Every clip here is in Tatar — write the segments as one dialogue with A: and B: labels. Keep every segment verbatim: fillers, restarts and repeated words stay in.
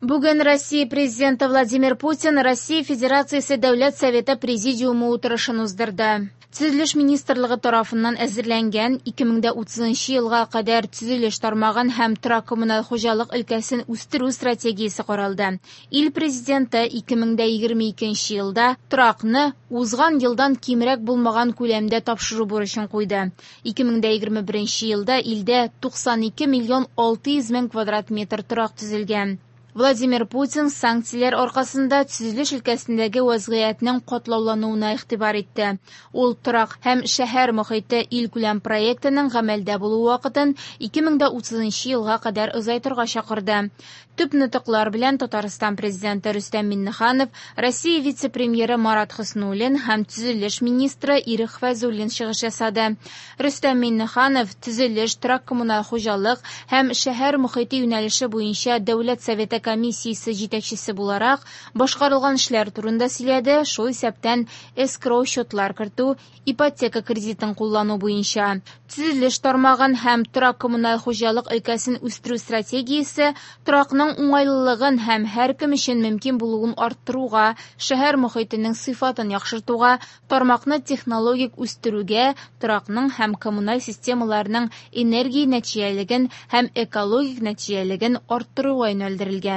A: Бүген Россия Президенты Владимир Путин Россия Федерациясе Дәүләт Советы Президиумы утырышын уздырды. Төзелеш министрлыгы тарафыннан әзерләнгән ике мең дә утызынчы елга кадәр төзелеш тармагын һәм торак-коммуналь хуҗалык өлкәсен үстерү стратегиясе каралды. Ил президенты ике мең дә егерме икенче елда торакны узган елдан кимрәк булмаган күләмдә тапшыру бурычын куйды. Ике мең дә егерме беренче елда илдә туксан ике миллион алты йөз мең квадрат метр торак төзелгән. Владимир Путин санкцияләр аркасында төзелеш өлкәсендәге вазгыятьнең катлаулануына игътибар итте. Ул торак һәм шәһәр мохите илкүләм проектының гамәлдә булу вакытын ике мең дә утызынчы елга кадәр озайтырга чакырды. Төп нотыклар белән Татарстан президенты Рөстәм Миңнеханов, Россия вице-премьеры Марат Хөснуллин һәм төзелеш министры Ирек Фәйзуллин чыгыш ясады. Рөстәм Миңнеханов төзелеш, торак-коммуналь хуҗалык һәм шәһәр мохите юнәлеше буенча Дәүләт Советы комиссиясе җитәкчесе буларак башкарылган эшләр турында сөйләде, шул исәптән эскроу счетлар кертү, ипотека кредитын куллану буенча. Төзелеш тармагын һәм торак-коммуналь хуҗалык өлкәсен үстерү стратегиясе торакның уңайлылыгын һәм һәркем өчен мөмкин булуын арттыруга, шәһәр мохитенең сыйфатын яхшыртуга, тармакны технологик үстерүгә, торакның һәм коммуналь системаларның энергия нәтиҗәлелеген һәм экологик нәтиҗәлелеген арттыруга юнәлдерелгән.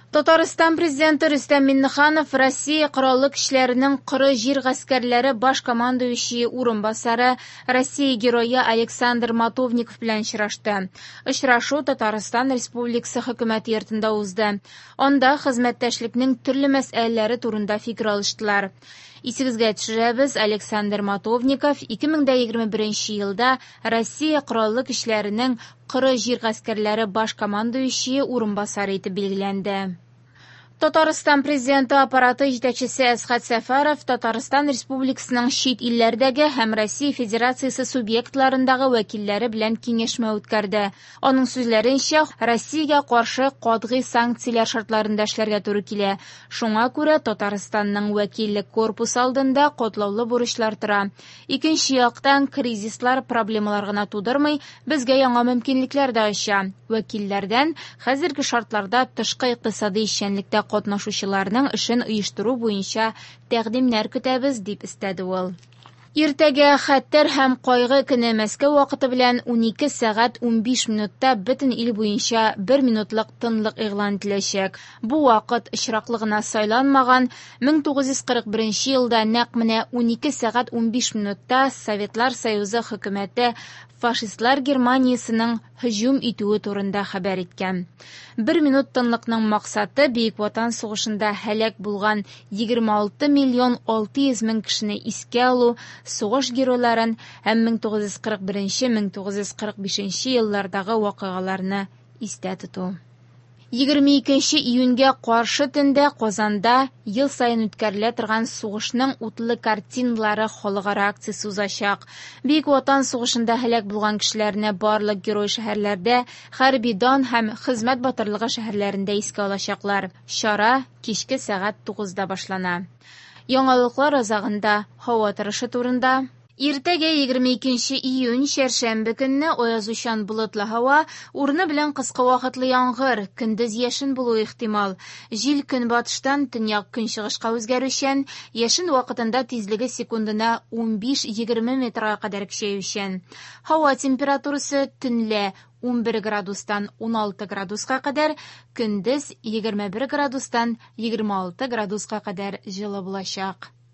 A: Татарстан президенты Рөстәм Миңнеханов Россия Кораллы Көчләренең коры җир гаскәрләре баш командующие урынбасары Россия герое Александр Матовников белән очрашты. Очрашу Татарстан Республикасы хөкүмәте йортында узды. Анда хезмәттәшлекнең төрле мәсьәләләре турында фикер алыштылар. Исегезгә төшерәбез, Александр Матовников ике мең дә егерме беренче елда Россия Кораллы Көчләренең коры җир гаскәрләре баш командующие урынбасары итеп билгеләнде. Татарстан президенты аппараты җитәкчесе Әсхәт Сәфәров Татарстан Республикасының чит илләрдәге һәм Россия Федерациясе субъектларындагы вәкилләре белән киңәшмә үткәрде. Аның сүзләренчә, Россиягә каршы катгый санкцияләр шартларында эшләргә туры килә. Шуңа күрә Татарстанның вәкиллек корпусы алдында катлаулы бурычлар тора. Икенче яктан, кризислар проблемалар гына тудырмый, безгә яңа мөмкинлекләр дә ача. Вәкилләрдән хәзерге шартларда тышкы икътисади эшчәнлектә катнашучыларның эшен оештыру буенча тәкъдимнәр көтәбез, дип өстәде ул. Иртәгә хәтер һәм кайгы көне Мәскәү вакыты белән унике сәгать унбиш минутта бөтен ил буенча бер минутлык тынлык игълан ителәчәк. Бу вакыт очраклы гына сайланмаган. Мең тугыз йөз кырык беренче елда нәкъ менә унике сәгать унбиш минутта Советлар Союзы хөкүмәте фашистлар Германиясенең һөҗүм итүе турында хәбәр иткән. Бер минут тынлыкның максаты Бөек Ватан сугышында һәлак булган егерме алты миллион алты йөз мең кешене искә алу, сугыш геройларын һәм мең тугыз йөз кырык беренче, мең тугыз йөз кырык бишенче еллардагы вакыйгаларны истә тоту. Егерме икенче июньгә каршы төндә Казанда ел саен үткәрелә торган сугышның утлы картиналары халыкара акциясе узачак. Бөек Ватан сугышында һәлак булган кешеләрне барлык герой шәһәрләрдә, хәрби дан һәм хезмәт батырлыгы шәһәрләрендә искә алачаклар. Чара кичке сәгать тугызда башлана. Яңалыклар азагында һава торышы турында. Иртәгә егерме икенче июнь чәршәмбе көнне аязучан болытлы һава, урыны белән кыска вакытлы яңгыр, көндез яшен булуы ихтимал. Җил көнбатыштан төньяк көнчыгышка үзгәрүчән, яшен вакытында тизлеге секундына унбиш-егерме метрга кадәр көчәючән. Һава температурасы төнлә унбер градустан уналты градуска кадәр, көндез егерме бер градустан егерме алты градуска кадәр җылы булачак.